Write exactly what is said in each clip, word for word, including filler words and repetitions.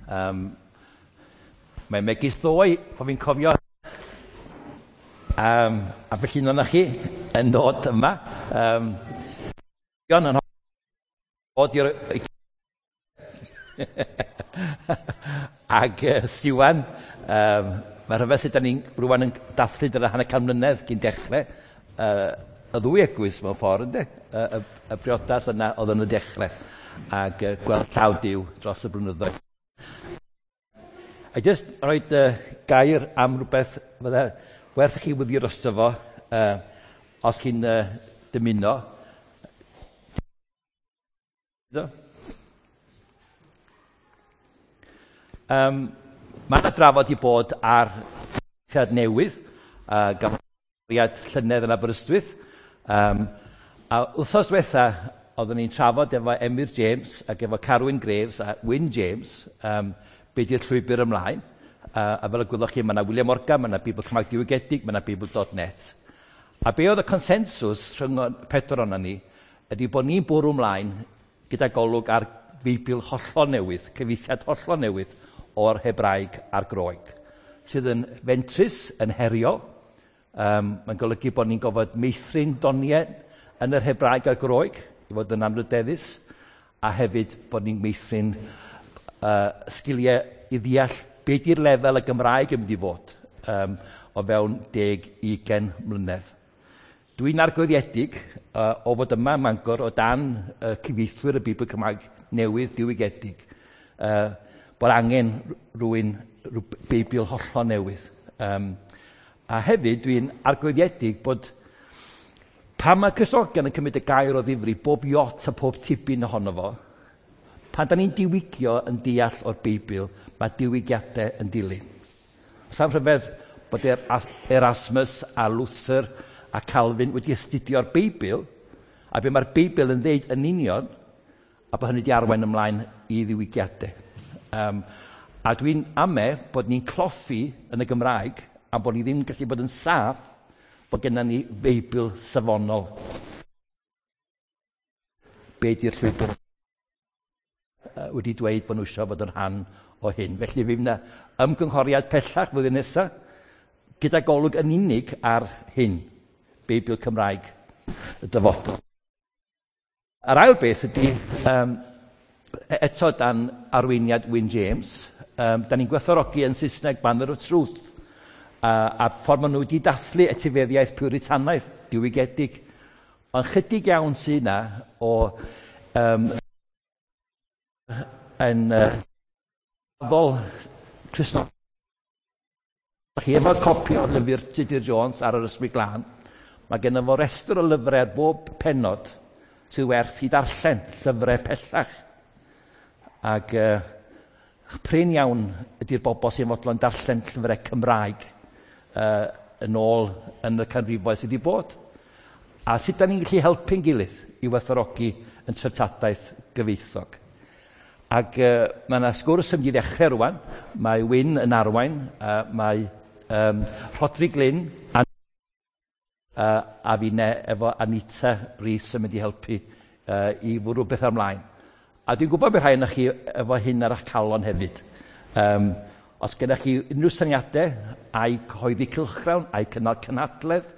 Um, Mae'n megis ddoe, po fi'n cofio, um, a felly un ohonoch chi yn dod yma. Um, yn dod i'r... Ag uh, Siwan, um, mae rhyfedd sut da ni'n rwan yn dathlu dyna hanner can mlynedd cyn dechrau. Uh, y ddwy eglwys mewn ffordd, ynddo? Y, y, y briodas yna oedd yn y dechrau. Ac uh, gweld llaw Duw dros y blynyddoedd. A jyst rhoi uh, gair am rhywbeth fydde werth i chi wyddio drosto fo, uh, os chi'n uh, dymuno. Um, mae yna drafod i bod ar cyfieithiad newydd, uh, gafodd llynedd yn Aberystwyth. Um, a wythnos diwetha, oeddwn ni'n trafod efo Emyr James ac efo Carwyn Graves a Wyn James, um, be di'r llwybr ymlaen. Uh, a fel y gwylwch chi, mae yna William Morgan, mae yna Beibl Cymraeg Diwygiedig, mae yna Beibl dot net. A be oedd y consensws rhwng pedwar ohonon ni, ydy bod ni'n bwrw ymlaen gyda golwg ar Beibl hollol newydd, cyfieithiad hollol newydd o'r Hebraeg a'r Groeg, sydd yn fentrus, yn heriol. Um, mae'n golygu bod ni'n gofod meithrin doniau yn yr Hebraeg a'r Groeg, i fod yn anrydeddus, a hefyd bod ni'n meithrin uh, sgiliau i ddeall be di'r lefel y Gymraeg yn mynd i fod um, o fewn deg ugain mlynedd. Dwi'n argyhoeddedig uh, o fod yma ym Mangor o dan uh, cyfieithwyr y Beibl Cymraeg newydd diwygiedig, uh, bod angen rhywun rhyw Beibl hollol newydd. Um, a hefyd dwi'n argyhoeddedig bod pan mae Cristnogion yn cymryd y gair o ddifri, bob iot a pob tipyn ohono fo, pan da ni'n diwygio yn deall o'r Beibl, mae diwygiadau yn dilyn. Sa'n rhyfedd bod Erasmus a Luther a Calvin wedi astudio'r Beibl, a be mae'r Beibl yn ddeud yn union, a bod hynny wedi arwain ymlaen i ddiwygiadau. Um, a dwi'n ame bod ni'n cloffi yn y Gymraeg, a bod ni ddim yn gallu bod yn saff bod gennym ni Beibl safonol. Be di'r llwybr wedi dweud bod nhw eisiau fod yn rhan o hyn. Felly fydd yna ymgynghoriad pellach flwyddyn nesaf, gyda golwg yn unig ar hyn, Beibl Cymraeg y dyfodol. Yr ail beth ydy, um, eto dan arweiniad Wyn James, um, da ni'n gwerthfawrogi yn Saesneg Banner of Truth, a, a ffordd maen nhw wedi dathlu etifeddiaeth Puritanaidd, diwygiedig. Ond chydig iawn sydd yna o um, yn uh, addol Cristnogol. Chi efo copi o lyfr Tudur Jones ar yr Ysbryd Glân, mae gennym fo restr o lyfrau ar bob pennod sydd werth i darllen, llyfrau pellach. Ac uh, prin iawn ydy'r bobl sy'n fodlon darllen llyfrau Cymraeg uh, yn ôl yn y canrifoedd sydd wedi bod. A sut da ni'n gallu helpu'n gilydd i werthfawrogi yn treftadaeth gyfoethog. Ac uh, mae yna sgwrs yn mynd i ddechrau rwan. Mae Wyn yn arwain, uh, mae um, Rhodri Glyn a, uh, a finne efo Anita Rees yn mynd i helpu uh, i fwrw beth ymlaen. A dwi'n gwybod bod rhai ohonoch chi efo hyn ar eich calon hefyd. Um, os gennych chi unrhyw syniadau, a'i cyhoeddi cylchgrawn, a'i cynnal cynhadledd,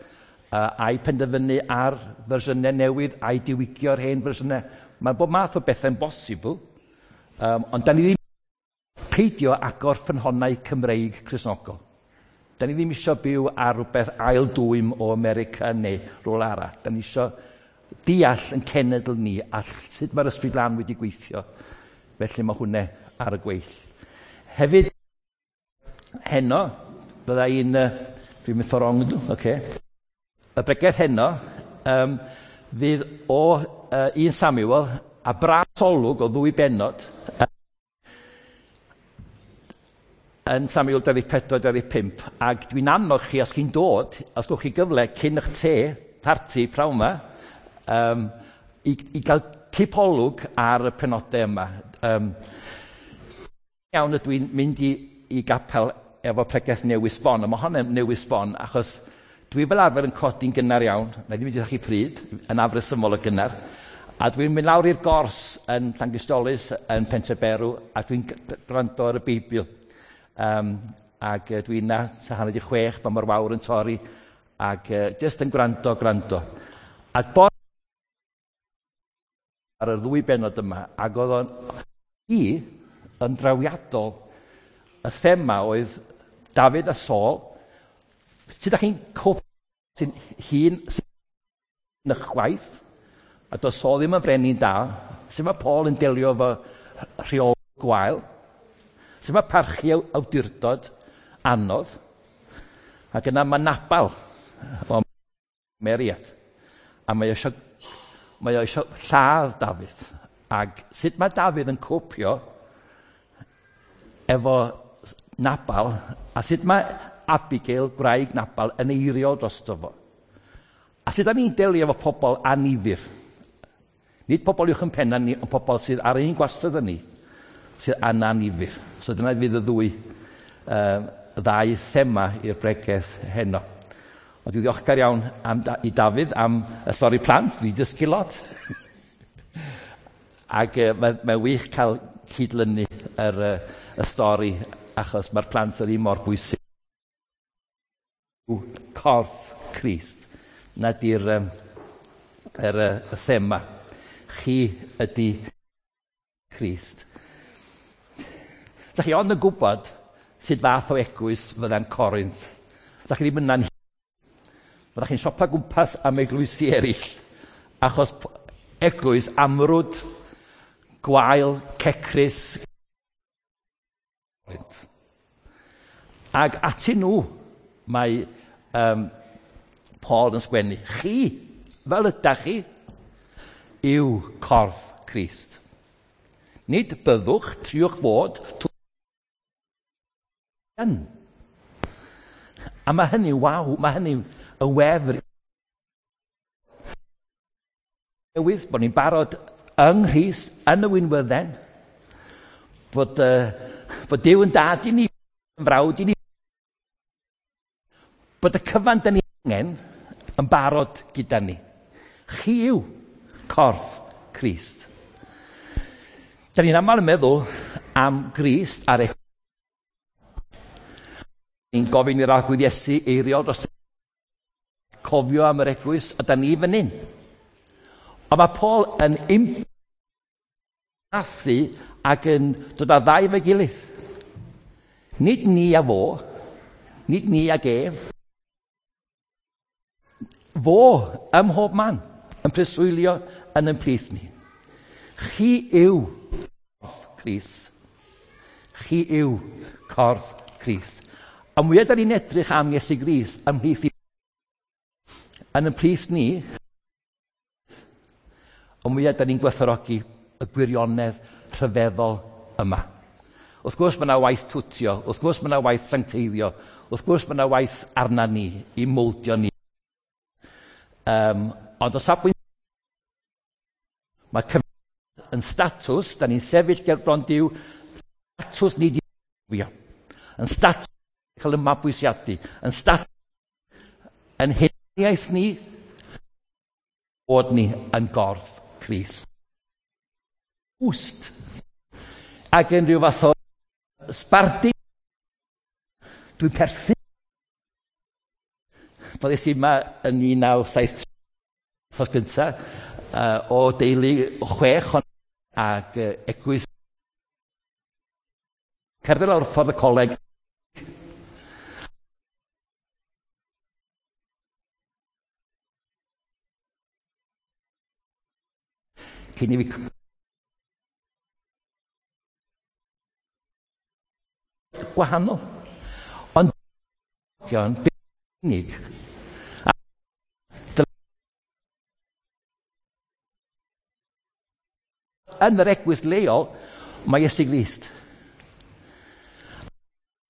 uh, a'i penderfynu ar fersiynau newydd, a'i diwygio'r hen fersiynau. Mae bob math o bethau'n bosibl. Um, ond da ni ddim peidio agor ffynhonnau Cymreig Cristnogol. Da ni ddim eisiau byw ar rhywbeth ail dwym o America neu rhywle arall. Da ni eisiau deall yn cenedl ni a sut mae'r Ysbryd Glân wedi gweithio. Felly mae hwnna ar y gweill. Hefyd, heno, bydda i'n... Dwi'n mynd ffordd wrong, ydw? Okay. Y bregeth heno um, fydd o uh, un Samuel a bras olwg o ddwy bennod yn Samuel dau ddeg pedwar dau ddeg pump, ac dwi'n annog chi, os chi'n dod, os gwch chi gyfle cyn eich te, parti, prawn yma, um, i, i gael cipolwg ar y penodau yma. Um, iawn ydw i'n mynd i, i gapel efo pregeth newydd sbon, a mae hwnna'n newydd sbon, achos dwi fel arfer yn codi'n gynnar iawn, na i ddim wedi chi pryd, yn afresymol o gynnar, A dwi'n mynd lawr i'r gors yn Llangystolis, yn Pentreberw, a dwi'n gwrando ar y Beibl. Um, ac uh, dwi'n na, hanner di chwech, pan mae'r wawr yn torri, ac uh, jyst yn gwrando, gwrando. A bore ar y ddwy benod yma, ac oedd o'n i yn drawiadol. Y thema oedd Dafydd a Saul. Sut ydych chi'n cofio sy'n hun sy'n ychwaith, a doedd Saul ddim yn frenin da. Sut mae Paul yn delio efo rheol gwael? Sut mae parchu awdurdod anodd? Ac yna mae Nabal o Meriad. A mae eisiau, mae o eisiau lladd Dafydd. Ac sut mae Dafydd yn copio efo Nabal, a sut mae Abigail, gwraig Nabal, yn eiriol drosto fo. A sut da ni'n delio efo pobl annifyr? Nid pobl uwch yn penna ni, ond pobl sydd ar ein gwastad â ni, sydd yn annifyr. So dyna fydd y ddwy, uh, ddau thema i'r bregeth heno. Ond dwi'n ddiolchgar iawn am, i Dafydd am y stori plant, dwi'n dysgu lot. Ac uh, mae'n mae wych cael cydlynu yr, uh, y stori, achos mae'r plant yr un mor bwysig. Corff Crist, na di'r um, yr, y thema. Chi ydy Crist. Sa chi ond yn gwybod sut fath o eglwys fydda'n Corinth. Sa chi ddim yna'n... Fydda'ch chi'n siopa gwmpas am eglwysi eraill, achos eglwys amrwd, gwael, cecrus. Ac atyn nhw mae um, Paul yn sgwennu. Chi, fel ydach chi, yw corff Crist. Nid byddwch, triwch fod, yn. A mae hynny, waw, mae hynny yn wefr. Newydd, bod ni'n barod yng Nghrist, yn y winwydden, bod, uh, bod Duw yn dad i ni, yn frawd i ni, bod y cyfan dyn ni angen yn barod gyda ni. Chi yw corff Crist. Da ni'n aml yn meddwl am Grist ar eich... Ni'n gofyn i'r Arglwydd Iesu eiriol dros cofio am yr eglwys, a da ni fan hyn. Ond mae Paul yn impathu ac yn dod â ddau efo'i gilydd. Nid ni a fo, nid ni ag ef. Fo ym mhob man yn preswylio yn ein plith ni. Chi yw corff Crist. Chi yw corff Crist. A mwyaf da ni'n edrych am Iesu Grist ymhlith i, yn ein plith ni, y mwyaf da ni'n gwerthfawrogi y gwirionedd rhyfeddol yma. Wrth gwrs mae yna waith twtio, wrth gwrs mae yna waith sancteiddio, wrth gwrs mae yna waith arna ni, i mowldio ni. Um, ond o safbwynt, mae cyfnod yn statws, da ni'n sefyll ger bron Duw, statws ni di yn statws cael y mabwysiadu, yn statws yn huniaeth ni, bod ni yn gorff Crist. Wst. Ac yn rhyw fath o sbardun, dwi'n perthyn. Fyddes i yma yn un naw saith wythnos gyntaf, uh, o deulu chwech ond ac uh, eglwys. Cerdded lawr ffordd y coleg. Cyn i fi gwahanol. Ond unig. Yn yr eglwys leol, mae Iesu Grist.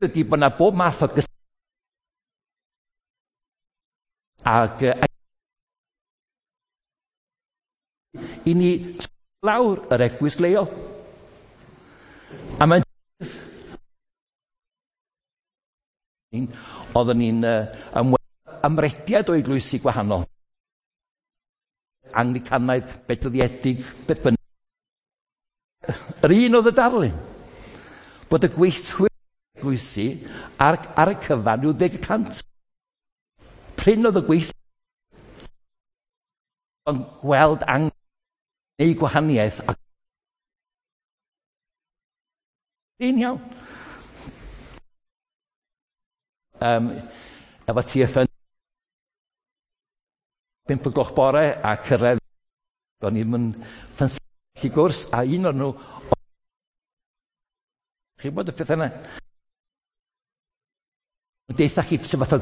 Ydy bod yna bob math o gys... Ac i ni lawr yr eglwys leol. A mae'n... Oedden ni'n uh, ymrediad o eglwysi gwahanol. Anglicanaidd, bedyddiedig, beth bynnag. Yr un oedd y darlun, bod y gweithwyr eglwysi ar, ar y cyfan rhyw ddeg y cant. Prin oedd y gweithwyr yn gweld angen neu gwahaniaeth. A prin iawn. Um, efo T F N pump o gloch bore a cyrraedd, o'n i'n mynd ffansi gwrs, a un o'r nhw, chi'n bod y peth yna? Deitha chi sut fath o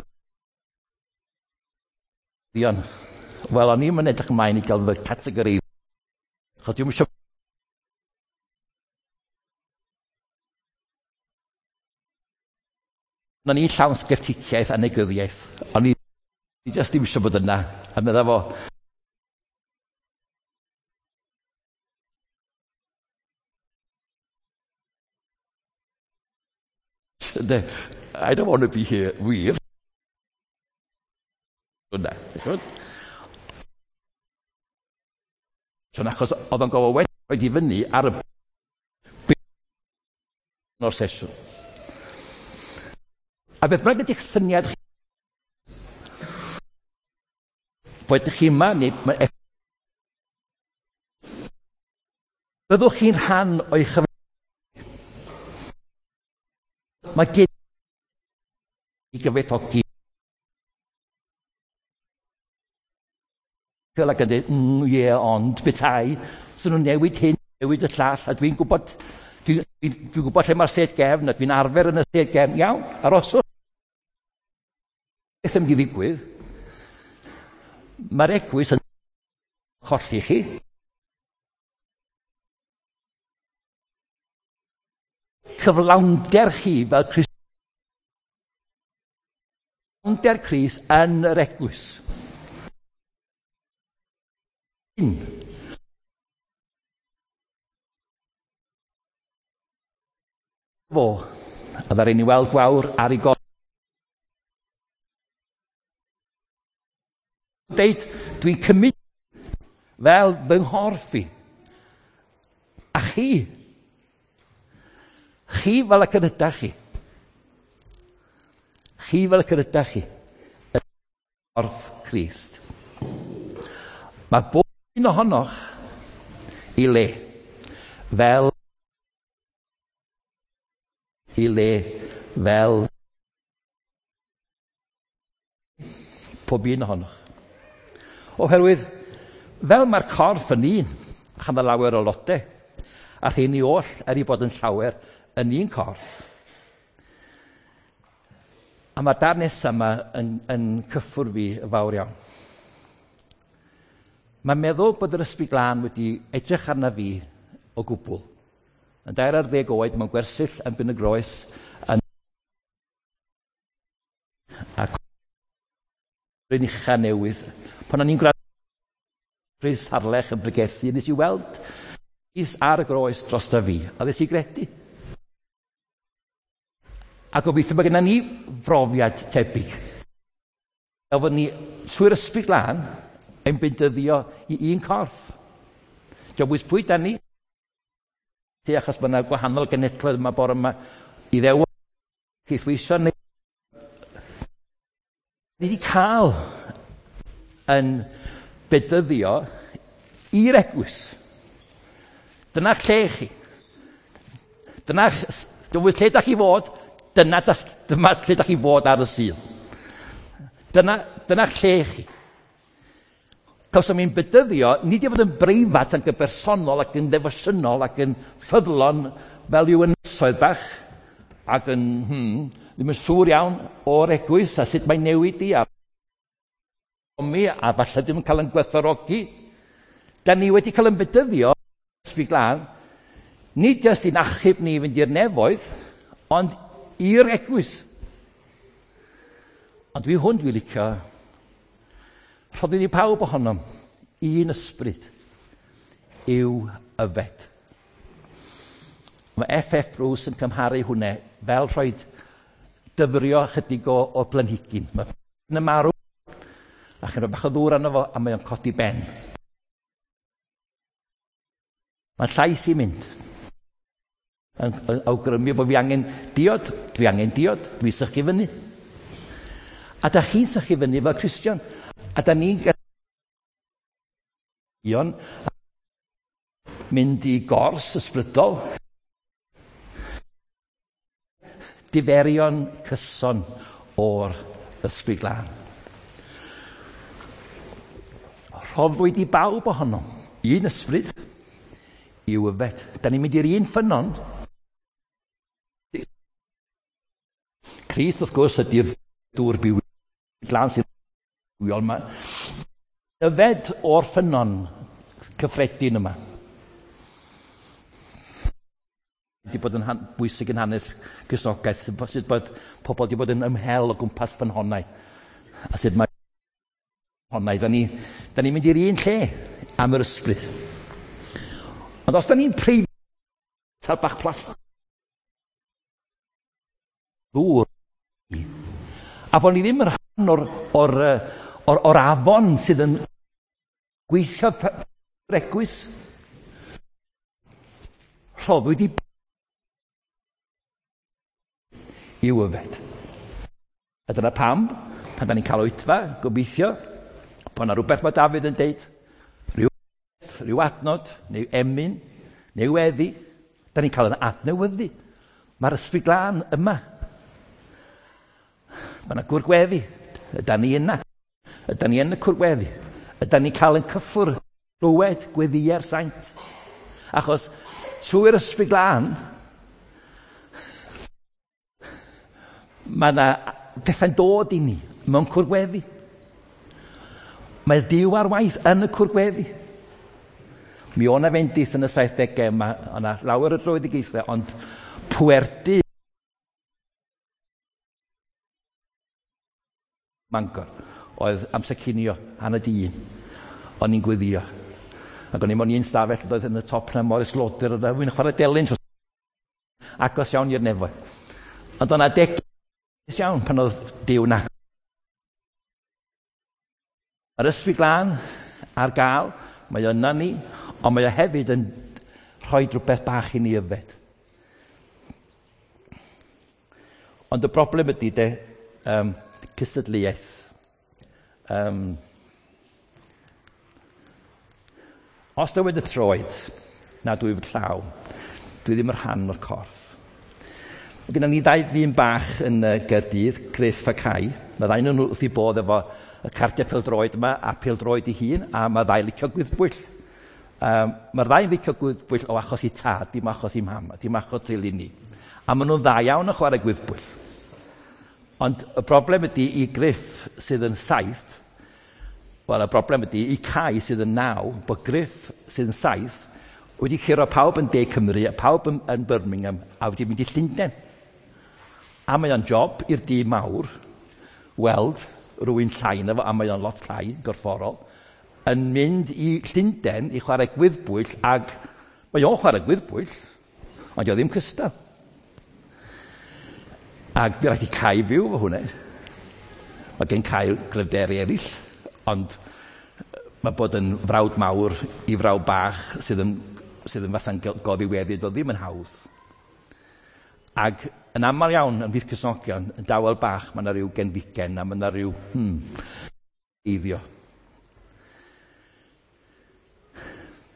ddion. Wel, o'n i'n mynd edrych ymlaen i gael fy categori. Achos dwi'm isio O'n i'n llawn sgepticiaeth a negyddiaeth. O'n i jyst ddim eisiau bod yna. A medda fo, I don't want to be here, wir. Yna. So, achos oedd o'n gofod wedi rhoi i fyny ar y o'r sesiwn. A beth bynnag ydych syniad chi, bod ydych chi yma, neu byddwch chi'n rhan o'i chyf... Mae gen i gyfoethogi. Fel ac yn dweud, mm, ie, yeah, ond bethau, so nhw'n newid hyn, newid y llall, a dwi'n gwybod, dwi'n dwi, dwi gwybod lle mae'r sedd gefn, a dwi'n arfer yn y sedd gefn, iawn, aroswch. Beth yn mynd i ddigwydd? Mae'r eglwys yn colli chi. Cyflawnder chi fel Crist. Cyflawnder Crist yn yr eglwys. Un. Fo, a ddaru ni weld gwawr ar ei gorff. Deud, dwi'n cymryd fel fy nghorff i. A chi, chi fel y ydach chi. Chi fel y ydach chi. Y corff Crist. Mae bob un ohonoch i le fel i le fel pob un ohonoch. Oherwydd, fel mae'r corff yn un, a chanddo lawer o lodau, a rheini oll er i bod yn llawer yn un corff. A mae'r darn nesaf yma yn, yn cyffwrdd fi yn fawr iawn. Mae'n meddwl bod yr Ysbryd Glân wedi edrych arna fi o gwbl. Yn dair ar ddeg oed mewn gwersyll yn Bryn y Groes yn a Bryn Ucha newydd. Pan o'n i'n gwrando Rhys Harlech yn bregethu, nes i weld Rhys ar y groes drosta fi, a nes i gredu. A gobeithio bod gennym ni brofiad tebyg. Fel bod ni trwy'r Ysbryd Glân yn bendyddio i un corff. Dio'n bwys pwy da ni, achos mae yna gwahanol genedloedd yma bore yma i ddew caethweisio neu ni wedi cael yn bedyddio i'r eglwys. Dyna lle chi. Dyna, dyna lle da chi fod, dyna, dyma lle da chi fod ar y Sul. Dyna, dyna lle chi. Cawsom ni'n bedyddio, nid i fod yn breifat ac yn bersonol ac yn ddefosiynol ac yn ffyddlon fel yw ynysoedd bach ac yn, hmm, ddim yn siŵr iawn o'r eglwys a sut mae'n newid i a mi a falle ddim yn cael yn gwerthfawrogi. Da ni wedi cael yn bedyddio, Ysbryd Glân, nid jyst i'n achub ni i fynd i'r nefoedd, ond i'r eglwys. Ond dwi hwn dwi'n licio. Rhoddwn ni pawb ohonom un ysbryd i'w yfed. Mae F F Bruce yn cymharu hwnna fel rhoi dyfrio chydig o, o blanhigyn. Mae yn marw, a chi'n rhoi bach o ddŵr arno fo, a mae o'n codi ben. Mae'n llais i mynd. Yn, yn awgrymu bod fi angen diod, dwi angen diod, dwi sychu fyny. A da chi'n sychu fyny fel Cristion. A da ni'n mynd i gors ysbrydol. Diferion cyson o'r Ysbryd Glân. Rhoddwyd i bawb ohonom un ysbryd i'w yfed. Da ni'n mynd i'r un ffynnon. Crist, wrth gwrs, ydy'r dŵr byw glân sy'n bywiol yma. Yfed o'r ffynnon cyffredin yma. Wedi bod yn bwysig yn hanes Cristnogaeth, sut bod pobl wedi bod yn ymhel o gwmpas ffynhonnau. A sut mae ffynhonnau, da ni, da ni'n mynd i'r un lle am yr ysbryd. Ond os da ni'n preifat bach plastig ddŵr, a bod ni ddim yn rhan o'r, or, or, or afon sydd yn gweithio eglwys, rhoddwyd i i'w yfed. A dyna pam, pan da ni'n cael oedfa, gobeithio, bod yna rhywbeth mae Dafydd yn deud, rhyw, rhyw adnod, neu emyn, neu weddi, da ni'n cael yn adnewyddu. Mae'r Ysbryd Glân yma. Mae yna gwrgweddi. Ydan ni yna. Ydan ni yn y cwrgweddi. Ydan ni'n cael yn cyffwrdd glywed gweddïau'r saint. Achos trwy'r Ysbryd Glân, mae yna pethau'n dod i ni mewn cwrgweddi. Mae Duw ar waith yn y cwrgweddi. Mi o'na fendith yn y saithdegau, mae yna lawer o dröedigaethau, ond pwerdy Mangor oedd amser cinio, hanner di un. O'n i'n gweddio. Ac o'n i mewn un stafell oedd yn y top na Morris Gloder, oedd o'n chwarae delyn, agos iawn i'r nefoedd. Ond o'na deg iawn pan oedd Duw na. Mae'r Ysbryd Glân ar gael, mae o yna ni, ond mae o hefyd yn rhoi rhywbeth bach i ni yfed. Ond y broblem ydy de, um, cystadleuaeth. Um, os dywed y troed, na dwy fod llaw, dwi ddim yn rhan o'r corff. Mae gennym ni ddau ddyn bach yn uh, Gaerdydd, Griff a Cai. Mae ddau nhw wrth i bodd efo y cardiau pêl-droed yma a pêl-droed ei hun, a mae ddau licio gwyddbwyll. Um, mae'r ddau'n licio gwyddbwyll o achos i tad, dim achos i mam, dim achos teulu ni. A maen nhw'n dda iawn yn chwarae gwyddbwyll. Ond y broblem ydy i Griff sydd yn saith, wel y broblem ydy i Cai sydd yn naw, bod Griff sydd yn saith wedi curo pawb yn De Cymru a pawb yn, yn Birmingham a wedi mynd i Llundain. A mae o'n job i'r dyn mawr weld rhywun llai na fo, a mae o'n lot llai, gorfforol, yn mynd i Llundain i chwarae gwyddbwyll, ag mae o'n chwarae gwyddbwyll, ond o ddim cystal. Ac fi rhaid i Cai fyw efo hwnna. Mae gen Cai gryfderau eraill, ond mae bod yn frawd mawr i frawd bach sydd yn, sydd yn fatha'n goddiweddyd, o ddim yn hawdd. Ac yn aml iawn yn fydd Cristnogion, yn dawel bach, mae yna rhyw genfigen a mae yna rhyw hmm, eiddio.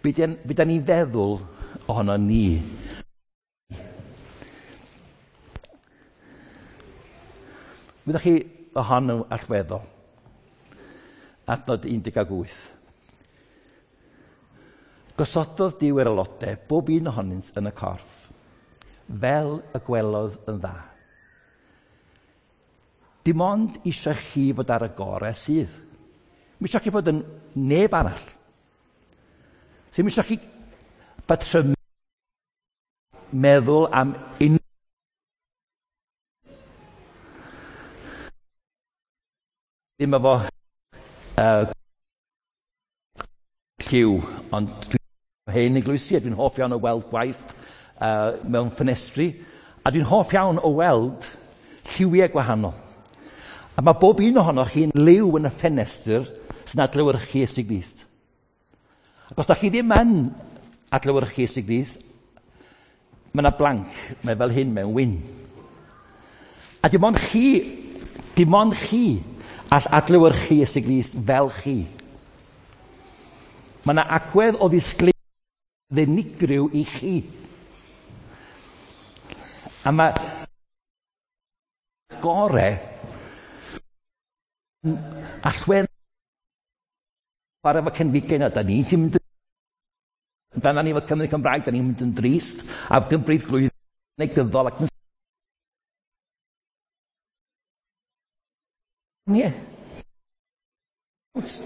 Be da ni'n feddwl ohono ni? Fyddwch chi ohono allweddol? Adnod un deg wyth. Gosododd Duw yr aelodau, bob un ohonynt yn y corff, fel y gwelodd yn dda. Dim ond eisiau chi fod ar y gorau sydd. Mi eisiau chi fod yn neb arall. Sy'n mi eisiau chi batrymu meddwl am unrhyw ddim efo uh, lliw, ond dwi'n hen eglwysi a dwi'n hoff iawn o weld gwaith uh, mewn ffenestri, a dwi'n hoff iawn o weld lliwiau gwahanol. A mae bob un ohonoch chi'n liw yn y ffenestr sy'n adlewyrchu Iesu Grist. Ac os da chi ddim yn adlewyrchu Iesu Grist, mae yna blank, mae fel hyn mewn wyn. A dim ond chi, dim ond chi all adlewyrchu Iesu Grist fel chi. Mae yna agwedd o ddisgleirdeb unigryw i chi. A mae gore allwedd chwarae efo cenfigen a da ni'n ti'n mynd yn dan ni efo Cymru Cymraeg, da ni'n mynd yn drist a gymbryd glwydd negyddol ac yn Ie.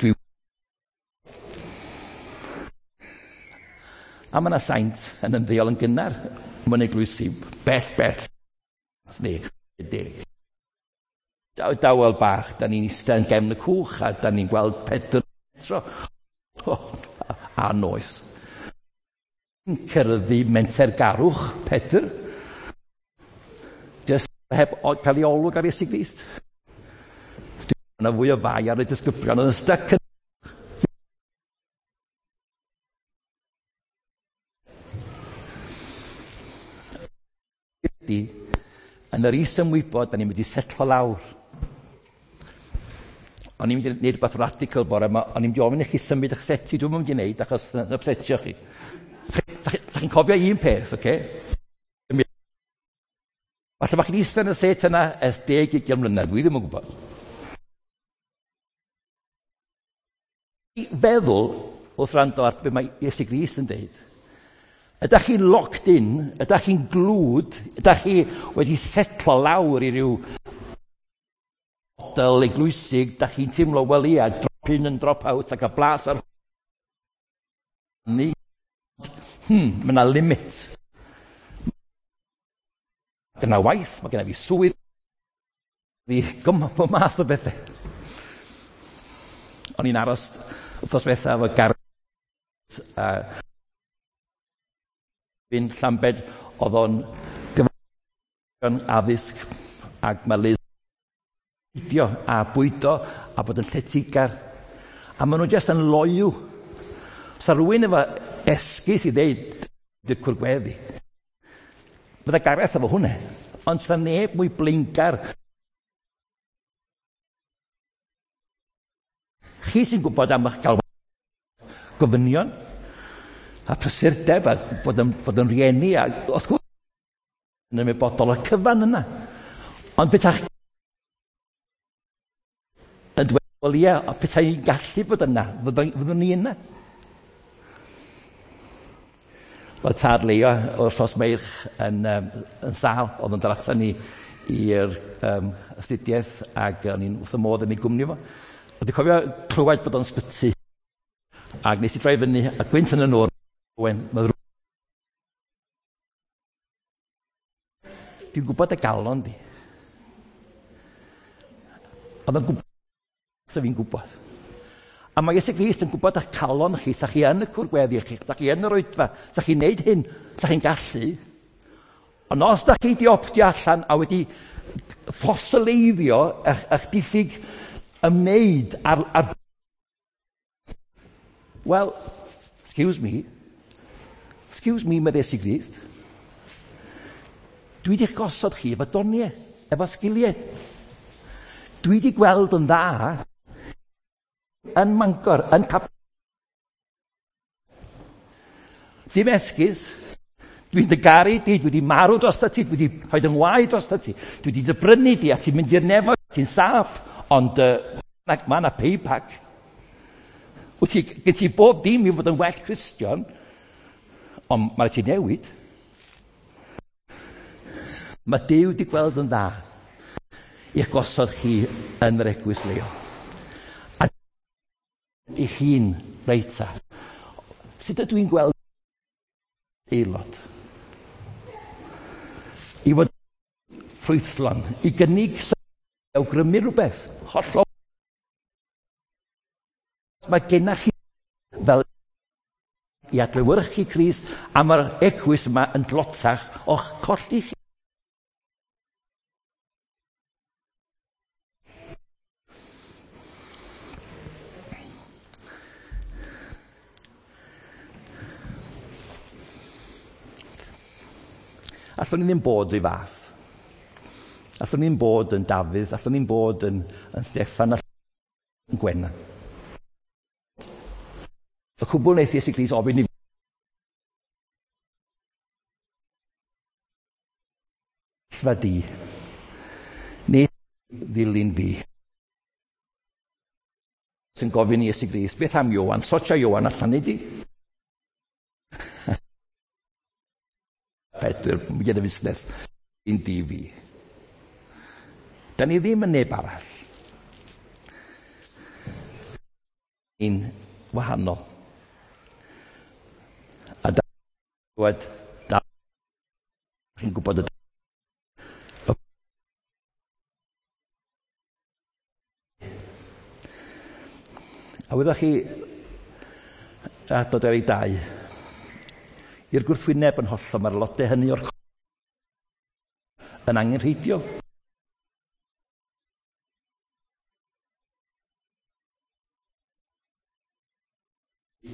Dwi... A mae yna saint yn ymddeol yn gynnar mewn eglwysi bell bell neu deg. Dawel bach, da ni'n eistedd yn gefn y cwch a da ni'n gweld Pedr metro. Oh, a noes. Cyrraedd mentergarwch Pedr. Just heb cael ei olwg ar Iesu Grist. Yna fwy o fai ar y disgyblion oedd yn styc yn ydy, yn yr is-ymwybod, da ni'n mynd i setlo lawr. O'n i'n mynd i wneud rhywbeth radical bore yma, o'n i'n mynd i ofyn i chi symud eich seti, dwi'n mynd i wneud achos yn upsetio chi. Sa chi'n cofio un peth, oce? Okay? Falle bod chi'n eistedd yn y set yna ers deg ugain mlynedd, dwi ddim yn gwybod. I feddwl wrth rando ar be mae Iesu Grist yn deud, ydych chi'n locked in, ydych chi'n glwd, ydych chi wedi setlo lawr i ryw model eglwysig, ydych chi'n teimlo, wel ia, drop in and drop out ac a blas ar ni. Hmm, mae yna limit. Mae genna waith, mae genna fi swydd, fi gymaint o math o bethau. O'n i'n aros wythnos diwetha efo Gareth a fi'n Llambed, oedd o'n gyfan addysg ac mae Liz bwydio a bwydo a bod yn lletygar. A maen nhw jyst yn loyw. Sa rhywun efo esgus i ddeud di'r cwrgweddi. Bydda Gareth efo hwnna. Ond sa neb mwy blaengar. Chi sy'n gwybod am eich gael gofynion a prysurdeb a bod yn, bod yn rieni a wrth gwrs yn ymwybodol o'r cyfan yna. Ond peta'ch yn dweud, wel ie, petai i'n gallu bod yna, fyddwn ni yna. Wel, tad Leo o'r Rhos Meirch yn, um, yn sâl, oedd yn dod ata ni i'r um, astudiaeth ac o'n i'n wrth y modd yn ei gwmni fo. A dwi'n cofio clywed bod o'n sbyty ac nes i droi fyny a gwynt yn y nôr, Owen, mae dwi'n gwybod y galon di. Oedd o'n gwybod, sa fi'n gwybod. A mae Iesu Grist yn gwybod eich calon chi, sa chi yn y cwrgweddi chi, sa chi yn yr oedfa, sa chi'n neud hyn, sa chi'n gallu. Ond os da chi di optio allan a wedi ffosileiddio eich, eich diffyg ymwneud ar, ar... Well, excuse me, excuse me, mae Iesu Grist. Dwi wedi gosod chi efo doniau, efo sgiliau. Dwi wedi gweld yn dda yn Mangor, yn Cap... Dim esgus, dwi'n dy garu di, dwi wedi marw dros ti, dwi wedi rhoi dy ngwaed dros ti, dwi wedi dy brynu di a ti'n mynd i'r nefoedd, ti'n saff, ond uh, mae yna payback. Wyt ti, gen ti bob dim i fod yn well Cristion, ond mae'n rhaid ti newid. Mae Duw wedi gweld yn dda i'ch gosod chi yn yr eglwys leol. A i'ch hun reit ta. Sut ydw i'n gweld aelod? I fod ffrwythlon, i gynnig awgrymu rhywbeth hollol. Mae gennych chi fel i adlewyrchu Crist a mae'r eglwys yma yn dlotach o'ch colli chi. Allwn ni ddim bod rhy fath. Allwn ni ddim bod yn Dafydd, allwn ni ddim bod yn, yn Steffan, allwn ni yn Gwenna. Y cwbl wnaeth Iesu Grist ofyn i fi di, neu ddilyn fi. Sy'n gofyn i Iesu Grist, beth am Ioan? Sortio Ioan allan i di. Pedr, gyda fusnes, un di fi. Da ni ddim yn neb arall. Ni'n wahanol. A da ni'n da chi'n gwybod y A wyddoch chi, adnod ar ei dau, i'r gwrthwyneb yn hollol, mae'r aelodau hynny o'r yn angenrheidiol.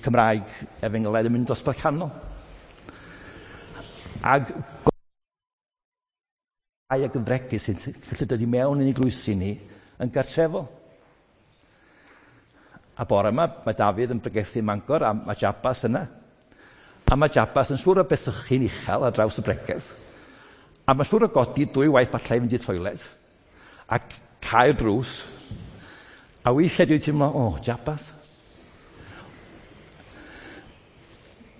Cymraeg efengylaidd yn mynd dosbarth canol. Ag ag yn fregus sy'n gallu dod i mewn yn eglwysi ni yn gartrefol. A bore yma, mae Dafydd yn pregethu Mangor, a mae Jabas yna. A mae Jabas yn siŵr o besychu'n uchel ar draws y bregeth. A mae'n siŵr o godi dwy waith falle i fynd i'r toilet. A cau'r drws. A weithiau dwi'n teimlo, o, oh, Jabas.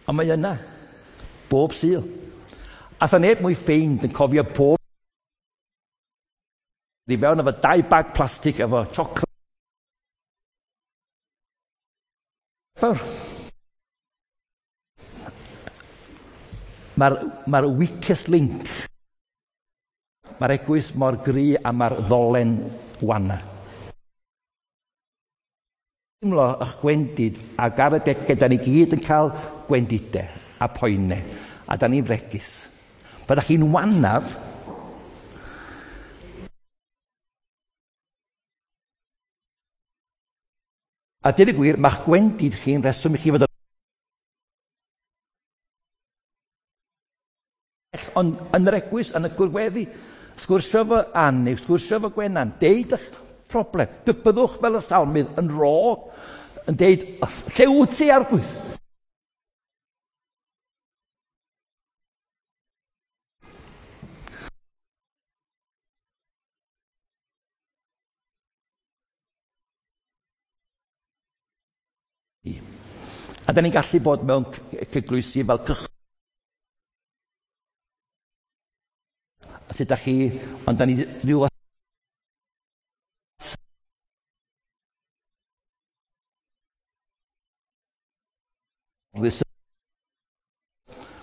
Ond mae yna, bob Sul. A sa neb mwy ffeind yn cofio pob i fewn efo dau bag plastig efo chocolate. Fawr. Mae'r mae weakest link. Mae'r eglwys mor gry a mae'r ddolen wana. Teimlo eich gwendid ac ar y degau, da ni gyd yn cael gwendidau a poenau, a da ni'n fregus. Byddech chi'n wanaf, a dweud y gwir, mae'ch gwendid chi'n reswm i chi fod yn ond yn yr eglwys, yn y gwrweddi, sgwrsio efo Ann neu sgwrsio efo Gwenan, deud eich problem. Byddwch fel y salmydd yn ro, yn deud, lle wyt ti, Arglwydd? A da ni'n gallu bod mewn eglwysi fel cychwyn. A sut da chi, ond da ni rhyw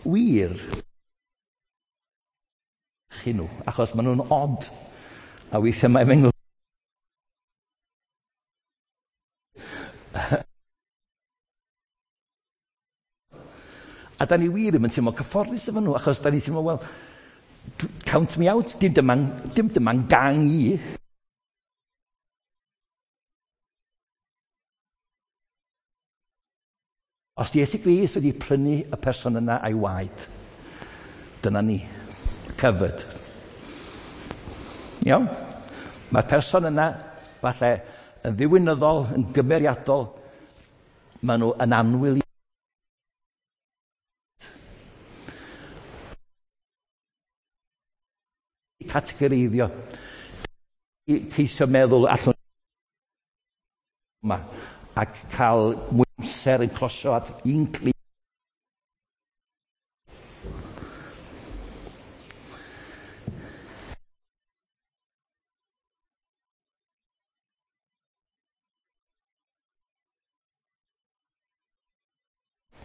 wir chi nhw, achos maen nhw'n od. A weithiau mae'n mynd A da ni wir ddim yn teimlo cyfforddus efo nhw, achos da ni'n teimlo, wel, count me out, dim dyma'n, dim dyma'n gang i. Os di Iesu Grist wedi prynu y person yna a'i waed, dyna ni, covered. Iawn? Mae'r person yna, falle, yn ddiwinyddol, yn gymeriadol, maen nhw yn annwyl i. Categoreiddio, ceisio meddwl allwn yma ac cael mwy amser yn closio at un cli.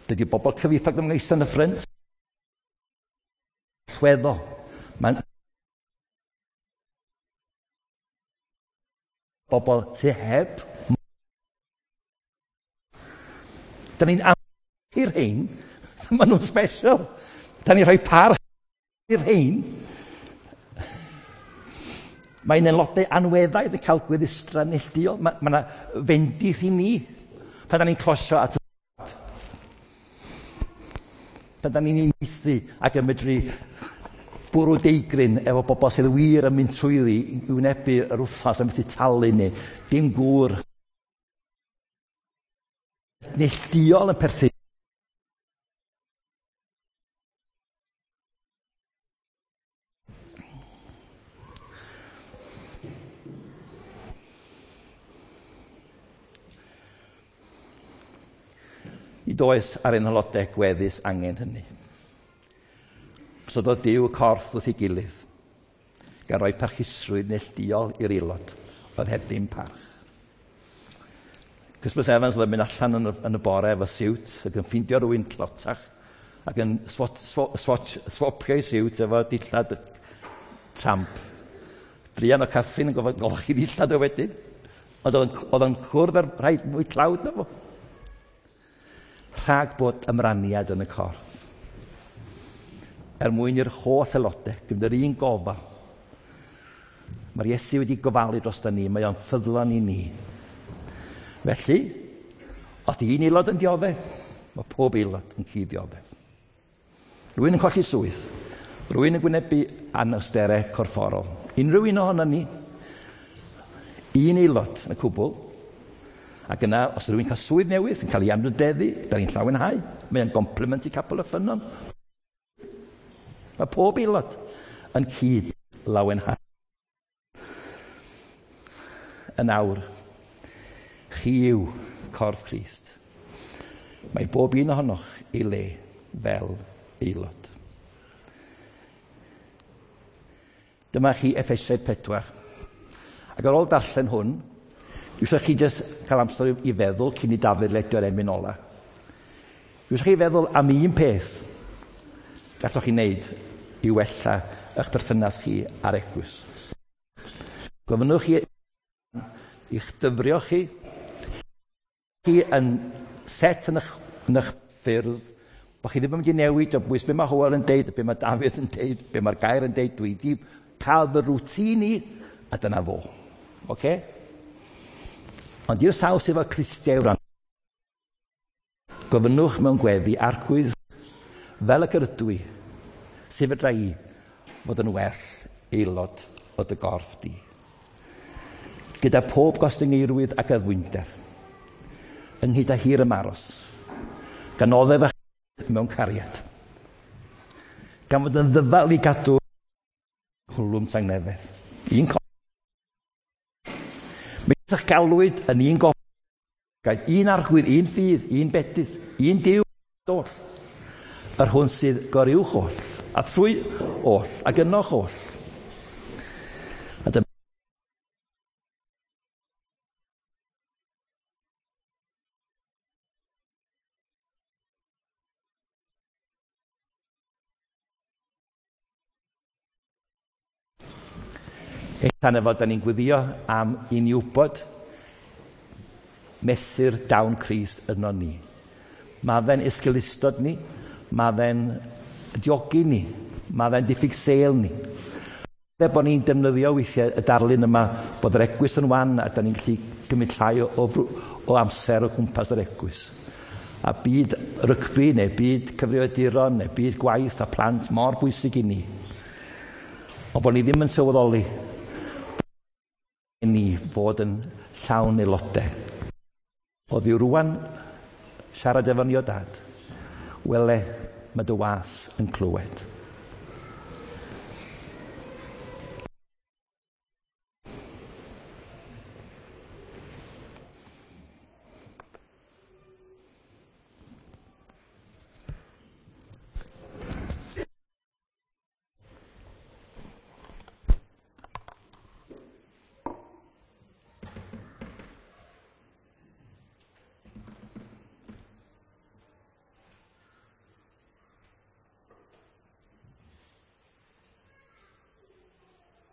Dydy bobl cyfieithog ddim yn eistedd yn y ffrynt. Allweddol. Mae'n bobl sydd heb. Da ni'n am i'r rhain, maen nhw'n special. Da ni'n rhoi parch i'r rhain. Mae'n aelodau anweddaidd yn cael gweddustra neilltuol. Mae yna fendith i ni pan da ni'n closio at y pan da ni'n uniaethu ac yn medru bwrw deigryn efo bobl sydd wir yn mynd trwyddi i wynebu yr wythnos a methu talu ni. Dim gŵr neilltuol yn perthyn. Nid oes ar ein haelodau gweddus angen hynny. Gosododd Duw y corff wrth ei gilydd, gan roi parchusrwydd neilltuol i'r aelod, oedd heb ddim parch. Christmas Evans oedd yn mynd allan yn y, yn y bore efo siwt ac yn ffeindio rhywun tlotach ac yn swat, swat, swat, swapio ei siwt efo dillad tramp. Druan o Catherine yn gofod golchi dillad o wedyn, ond oedd o'n cwrdd ar rhai mwy tlawd na fo. Rhag bod ymraniad yn y corff. Er mwyn i'r holl aelodau, gyda'r un gofal. Mae'r Iesu wedi gofalu dros ni, mae o'n ffyddlon i ni. Felly, os di un aelod yn dioddef, mae pob aelod yn cyd-dioddef. Rwy'n yn colli swydd, rwy'n yn gwynebu anawsterau corfforol. Unrhyw un ohono ni, un aelod yn y cwbl, ac yna, os rwy'n cael swydd newydd, yn cael ei anrhydeddu, da ni'n llawenhau, mae o'n compliment i Capel y Ffynnon. Mae pob aelod yn cyd lawenhau. Yn awr, chi yw corff Crist. Mae bob un ohonoch ei le fel aelod. Dyma chi Effesiaid pedwar. Ac ar ôl darllen hwn, dwi eisiau chi jyst cael amser i feddwl cyn i Dafydd ledio'r emyn ola. Dwi eisiau chi feddwl am un peth gallwch chi wneud i wella eich perthynas chi a'r eglwys. Gofynnwch chi i'ch dyfrio chi, chi yn set yn eich, yn eich ffyrdd, bod chi ddim yn mynd i newid o bwys be mae Hywel yn deud, be mae Dafydd yn deud, be mae'r gair yn deud, dwi wedi cael fy rwtîn i, a dyna fo. Oce? Ond i'r sawl sydd efo clustiau wrando, gofynnwch mewn gweddi arglwydd fel y ydw i, sef fedra i fod yn well aelod o dy gorff di. Gyda pob gostyngeirwydd ac addfwynder, ynghyd â hir ymaros, gan oddef a mewn cariad, gan fod yn ddyfal i gadw cwlwm tangnefedd. Un corff. Megis y'ch galwyd yn un gof, gael un arglwydd, un ffydd, un bedydd, un Duw oll, yr hwn sydd goruwch oll, a thrwy oll, ac ynoch oll. A dyma Tan efo, da ni'n gweddio am i ni wybod mesur dawn Crist yno ni. Mae fe'n esgeulustod ni, mae fe'n diogi ni, mae fe'n diffyg sêl ni. Fe bod ni'n defnyddio weithiau y darlun yma bod yr eglwys yn wan a da ni'n gallu cymryd llai o, o, o amser o gwmpas yr eglwys. A byd rygbi neu byd cyfrifiaduron neu byd gwaith a plant mor bwysig i ni. Ond bod ni ddim yn sylweddoli i ni fod yn llawn aelodau. O ddiw rwan siarad efo ni o dad, wele mae dy was yn clywed.